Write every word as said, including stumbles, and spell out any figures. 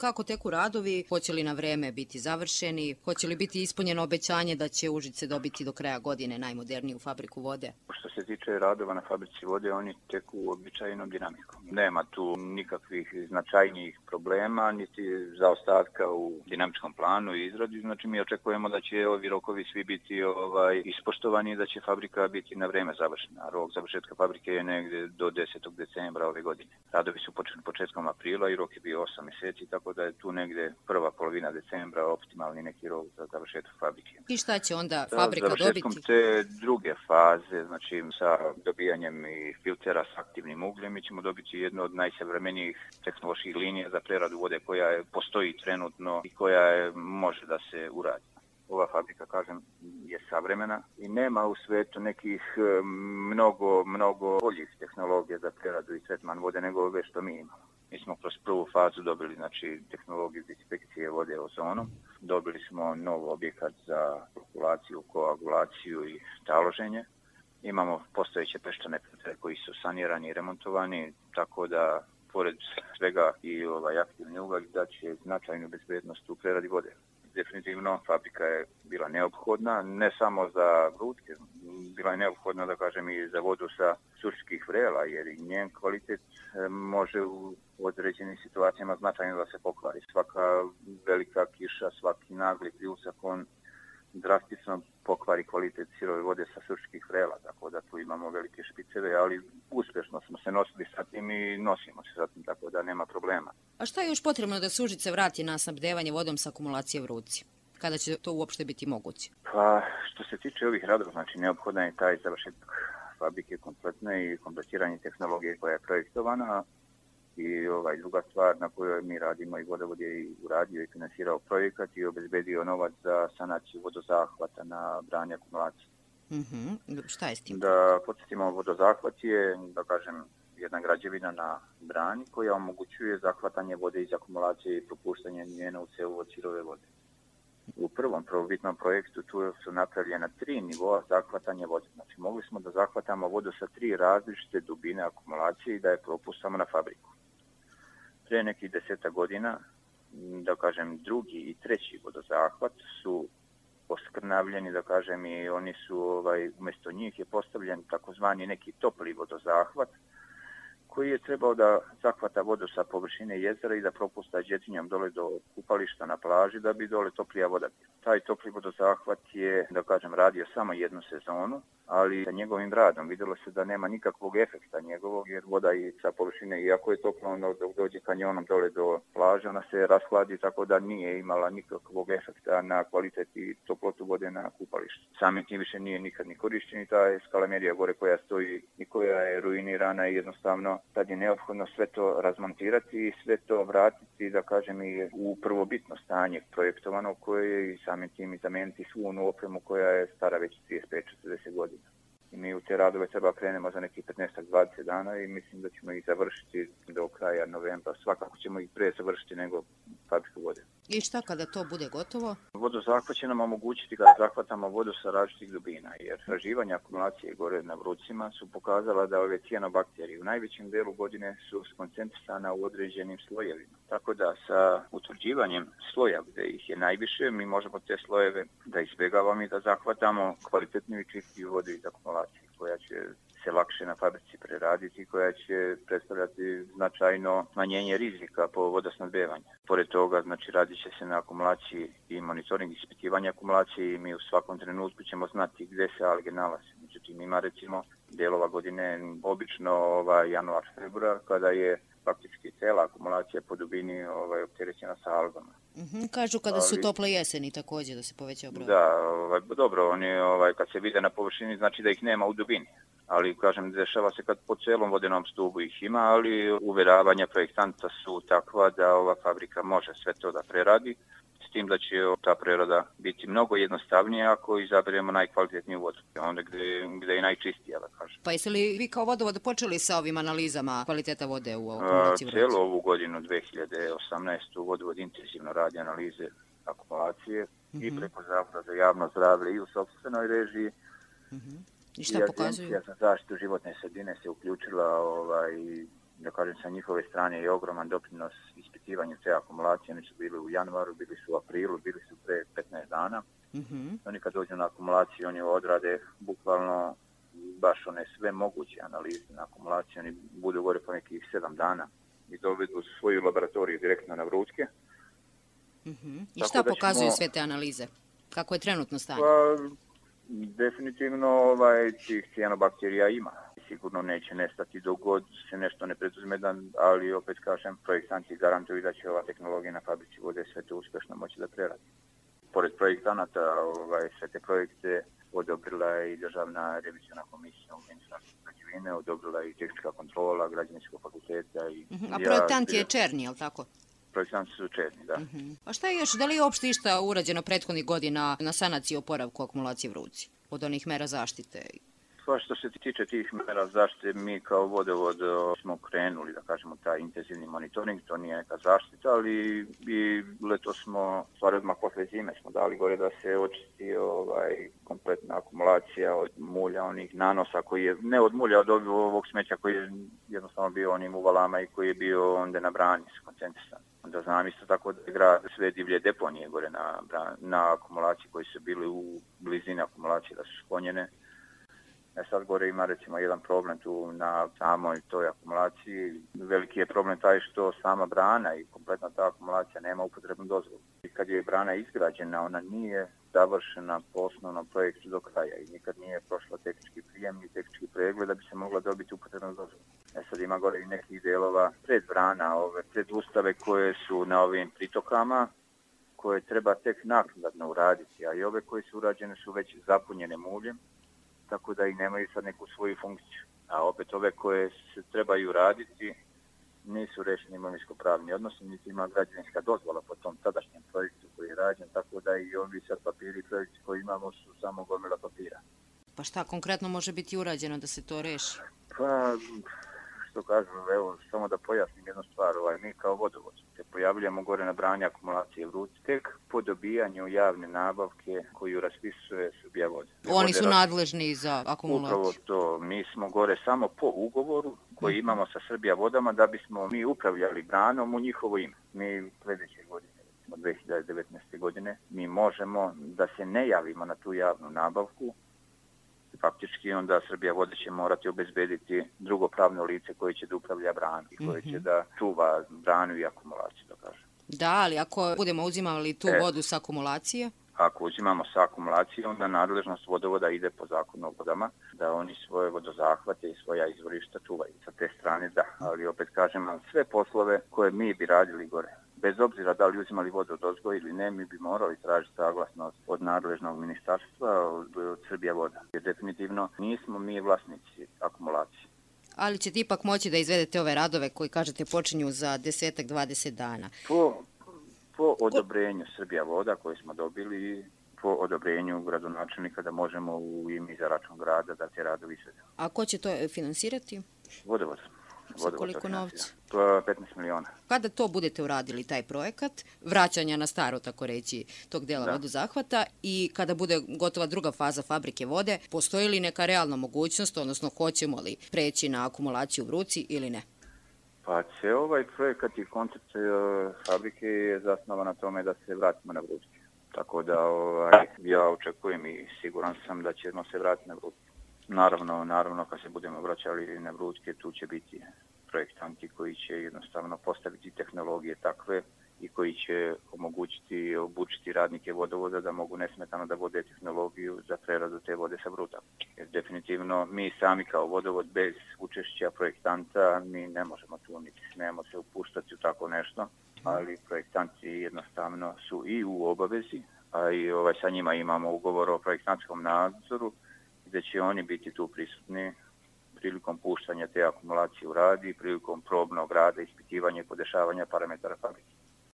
kako teku radovi, hoće li na vreme biti završeni, hoće li biti ispunjeno obećanje da će Užice dobiti do kraja godine najmoderniju fabriku vode? Što se tiče radova na fabrici vode, oni teku običajnom dinamikom. Nema tu nikakvih značajnijih problema, niti zaostatka u dinamičkom planu i izradi. Znači mi očekujemo da će ovi rokovi svi biti ovaj, ispoštovani i da će fabrika biti na vreme završena. Rok završetka fabrike je negdje do desetog decembra ove godine. Radovi su počeli početkom aprila i rok je bio osam mjeseci, tako da je tu negdje prva polovina decembra optimalni neki rok za završetak fabrike. I šta će onda fabrika dobiti? Završetkom te druge faze, znači sa dobijanjem i filtera s aktivnim ugljem, mi ćemo dobiti jednu od najsavremenijih tehnoloških linija za preradu vode koja je, postoji trenutno i koja je, može da se uradi. Ova fabrika, kažem, je savremena i nema u svijetu nekih mnogo, mnogo boljih tehnologija za preradu i tretman vode nego ove što mi imamo. Mi smo kroz prvu fazu dobili znači, tehnologiju dezinfekcije vode ozonom. Dobili smo nov objekat za flokulaciju, koagulaciju i taloženje. Imamo postojeće peščane filtere koji su sanirani i remontovani, tako da pored svega i ovaj aktivni ugalj da će značajnu bezbednost u preradi vode. Definitivno fabrika je bila neophodna, ne samo za Vrutke, bila je neophodna da kažem i za vodu sa Surčkih vrela, jer i njen kvalitet može u određenim situacijama značajno da se pokvari. Svaka velika kiša, svaki nagli pljusak, on drastično pokvari kvalitet sirove vode sa Surčkih vrela, tako da tu imamo velike špiceve, ali uspješno smo se nosili sa tim i nosimo se sa tim, tako da nema problema. A šta je još potrebno da se Užice vrati na snabdevanje vodom sa akumulacije Vrutci? Kada će to uopšte biti moguće? Pa, što se tiče ovih radova, znači neophodan je taj završetak fabrike kompletne i kompletiranje tehnologije koja je projektovana. I ovaj druga stvar na kojoj mi radimo i vodovod je i uradio i finansirao projekat i obezbedio novac za sanaciju vodozahvata na branje akumulacije. Mm-hmm. Šta je s tim? Da podsjetimo, vodozahvat je, da kažem, jedna građevina na brani koja omogućuje zahvatanje vode iz akumulacije i propuštanje njena u cevovod sirove vode. U prvom prvobitnom projektu tu su napravljena tri nivoa zahvatanja vode. Znači mogli smo da zahvatamo vodu sa tri različite dubine akumulacije i da je propustamo na fabriku. Pre nekih deseta godina, da kažem, drugi i treći vodozahvat su poskrnavljeni, da kažem, i oni su, ovaj, umjesto njih je postavljen takozvani neki topli vodozahvat, koji je trebao da zahvata vodu sa površine jezera i da propusta džetinjom dole do kupališta na plaži da bi dole toplija voda. Taj topli vodozahvat je, da kažem, radio samo jednu sezonu, ali sa njegovim radom vidjelo se da nema nikakvog efekta njegovog, jer voda i sa površine, iako je toplo, ono dok dođe kanjonom dole do plaže, ona se rashladi, tako da nije imala nikakvog efekta na kvalitet i toplotu vode na kupalištu. Samim tim više nije nikad ni korišćen i ta skalamerija gore koja stoji i koja je ruinirana i jednostavno tad je neophodno sve to razmontirati i sve to vratiti, da kažem, i u prvobitno stanje projektovano koje je i samim tim i zameniti svu onu opremu koja je stara već trideset pet do četrdeset godina. I mi u te radove treba krenemo za nekih petnaest do dvadeset dana i mislim da ćemo ih završiti do kraja novembra. Svakako ćemo ih pre završiti nego fabriku vode. I šta kada to bude gotovo? Vodozahvat će nam omogućiti da zahvatamo vodu sa različitih dubina, jer traživanja akumulacije gore na Vrucima su pokazala da ove cijanobakterije u najvećem delu godine su skoncentrisana u određenim slojevima. Tako da sa utvrđivanjem sloja gdje ih je najviše, mi možemo te slojeve da izbjegavamo i da zahvatamo kvalitetnu i čistiju vodu iz akumulacije, koja će se lakše na fabrici preraditi, koja će predstavljati značajno smanjenje rizika po vodosnabdevanju. Pored toga, znači, radit će se na akumulaciji i monitoring ispitivanja akumulacije i mi u svakom trenutku ćemo znati gdje se alge nalaze. Međutim, ima recimo delova godine, obično ovaj, januar, februar, kada je faktički cela akumulacija po dubini ovaj, opterećena sa algama. Mm-hmm. Kažu kada su tople jeseni također da se poveća broj. Da, ovaj, dobro, oni ovaj, kad se vide na površini znači da ih nema u dubini. Ali, kažem, dešava se kad po celom vodenom stubu ih ima, ali uveravanja projektanta su takva da ova fabrika može sve to da preradi, s tim da će ta prerada biti mnogo jednostavnija ako izaberemo najkvalitetniju vodu, onda gdje, gdje je najčistija, da kažem. Pa jeste li vi kao vodovod počeli sa ovim analizama kvaliteta vode u akumulaciji Vrutci? Cijelu ovu godinu, dve hiljade osamnaestu. vodovod intenzivno radi analize akumulacije mm-hmm. i preko Zavoda za javno zdravlje i u sopstvenoj režiji. Mm-hmm. I šta I pokazuju? Agencija za zaštitu životne sredine se uključila ovaj, da kažem, sa njihove strane je ogroman doprinos ispitivanju te akumulacije. Oni su bili u januaru, bili su u aprilu, bili su pre petnaest dana. Mm-hmm. Oni kad dođu na akumulaciju, oni odrade bukvalno baš one sve moguće analize na akumulaciju. Oni budu gore po nekih sedam dana i dovedu svoju laboratoriju direktno na Vrućke. Mm-hmm. I šta pokazuju ćemo... sve te analize? Kako je trenutno stanje? Pa, definitivno ovaj, tih cijanobakterija ima. Sigurno neće nestati dok god se nešto ne preduzme, ali opet kažem, projektanti garantuju da će ova tehnologija na fabrici vode sve to uspješno moći da preradi. Pored projektanata, ovaj, sve te projekte odobrila je i Državna revizijona komisija u Ministarstvu građevine, odobrila je i tehnička kontrola Građevinskog fakulteta. I uh-huh. A projektant ja, je Černi, je li tako? Projektanti su Černi, da. Uh-huh. A šta je još, da li je uopšte išta urađeno prethodnih godina na sanaciji oporavku akumulacije Vruci od onih mera zaštite? Pa što se tiče tih mera zaštite, mi kao vodovod smo krenuli, da kažemo, taj intenzivni monitoring, to nije neka zaštita, ali i leto smo, stvari odmah posle zime smo dali gore da se očisti ovaj, kompletna akumulacija od mulja, onih nanosa koji je, ne od mulja, od ovog smeća koji je jednostavno bio onim uvalama i koji je bio onda na brani skoncentrisan. Onda znam isto tako da je grad sve divlje deponije gore na, na akumulaciji koji su bili u blizini akumulacije da su sklonjene. E sad gore ima recimo jedan problem tu na samoj toj akumulaciji. Veliki je problem taj što sama brana i kompletna ta akumulacija nema upotrebnu dozvolu. I kad je brana izgrađena, ona nije završena po osnovnom projektu do kraja i nikad nije prošla tehnički prijem i tehnički pregled da bi se mogla dobiti upotrebnu dozvolu. E sad ima gore i nekih delova pred brana, ove pred ustave koje su na ovim pritokama, koje treba tek naknadno uraditi, a i ove koje su urađene su već zapunjene muljem, tako da i nemaju sad neku svoju funkciju. A opet ove koje se trebaju raditi nisu rešeni imovinsko-pravni odnosi, niti ima građevinska dozvola po tom tadašnjem projektu koji je rađen, tako da i ovi sad papiri i projekti koji imamo su samo gomila papira. Pa šta konkretno može biti urađeno da se to reši? Pa, što kažem, evo, samo da pojasnim jednu stvar, ovaj, mi kao vodovod se pojavljamo gore na brani akumulacije Vruci tek po dobijanju javne nabavke koju raspisuje Srbija vode. Oni su nadležni za akumulaciju. Upravo to, mi smo gore samo po ugovoru koji imamo sa Srbija vodama da bismo mi upravljali branom u njihovo ime. Mi sljedeće godine, od dve hiljade devetnaeste. godine, mi možemo da se ne javimo na tu javnu nabavku. Faktički onda Srbija vode će morati obezbediti drugo pravno lice koje će da upravlja branu i koje će da čuva branu i akumulaciju, da kažem. Da, ali ako budemo uzimali tu e, vodu sa akumulacije? Ako uzimamo sa akumulacije, onda nadležnost vodovoda ide po zakonu o vodama, da oni svoje vodozahvate i svoja izvorišta čuvaju. Sa te strane da, ali opet kažem, sve poslove koje mi bi radili gore, bez obzira da li uzimali vodu od ozgoja ili ne, mi bi morali tražiti saglasnost od nadležnog ministarstva, od, od Srbija voda. Jer definitivno nismo mi vlasnici akumulacije. Ali ćete ipak moći da izvedete ove radove koji, kažete, počinju za desetak, dvadeset dana. Po, po odobrenju Srbija voda koje smo dobili, po odobrenju gradonačelnika da možemo u ime za račun grada da te radovi izvedemo. A ko će to finansirati? Vodovod. Sa koliko novca? petnaest miliona. Kada to budete uradili, taj projekat, vraćanja na staro, tako reći, tog dela da. vodozahvata i kada bude gotova druga faza fabrike vode, postoji li neka realna mogućnost, odnosno hoćemo li preći na akumulaciju Vruci ili ne? Pa će ovaj projekat i koncept fabrike je zasnovan na tome da se vratimo na Vruci. Tako da ovaj, ja očekujem i siguran sam da ćemo se vratiti na Vruci. Naravno, naravno, kad se budemo vraćali na Vrućke, tu će biti projektanti koji će jednostavno postaviti tehnologije takve i koji će omogućiti i obučiti radnike vodovoda da mogu nesmetano da vode tehnologiju za preradu te vode sa Vruta. Jer definitivno mi sami kao vodovod bez učešća projektanta mi ne možemo tu niti smijemo se upuštati u tako nešto, ali projektanti jednostavno su i u obavezi, a i ovaj, sa njima imamo ugovor o projektantskom nadzoru gdje će oni biti tu prisutni prilikom puštanja te akumulacije u radi, prilikom probnog rada, ispitivanja i podešavanja parametara fabrike.